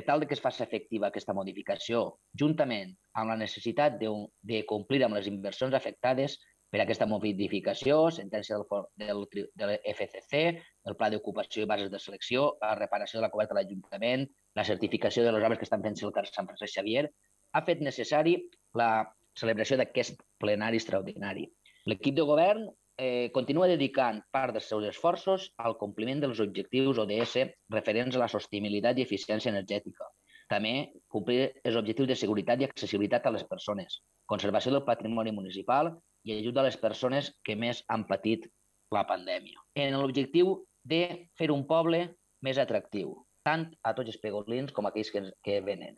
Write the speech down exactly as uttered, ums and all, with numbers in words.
tal que es faci efectiva aquesta modificació, juntament amb la necessitat de, de complir amb les inversions afectades per aquesta modificació, sentència del, del, de l'F C C, el pla d'ocupació i bases de selecció, la reparació de la coberta de l'Ajuntament, la certificació de les obres que estan fent el carrer Sant Francesc Xavier, ha fet necessari la celebració d'aquest plenari extraordinari. L'equip de govern eh, continua dedicant part dels seus esforços al compliment dels objectius O D S referents a la sostenibilitat i eficiència energètica. També complir els objectius de seguretat i accessibilitat a les persones, conservació del patrimoni municipal i ajuda a les persones que més han patit la pandèmia. En l'objectiu de fer un poble més atractiu, tant a tots els pegolins com a aquells que, que venen.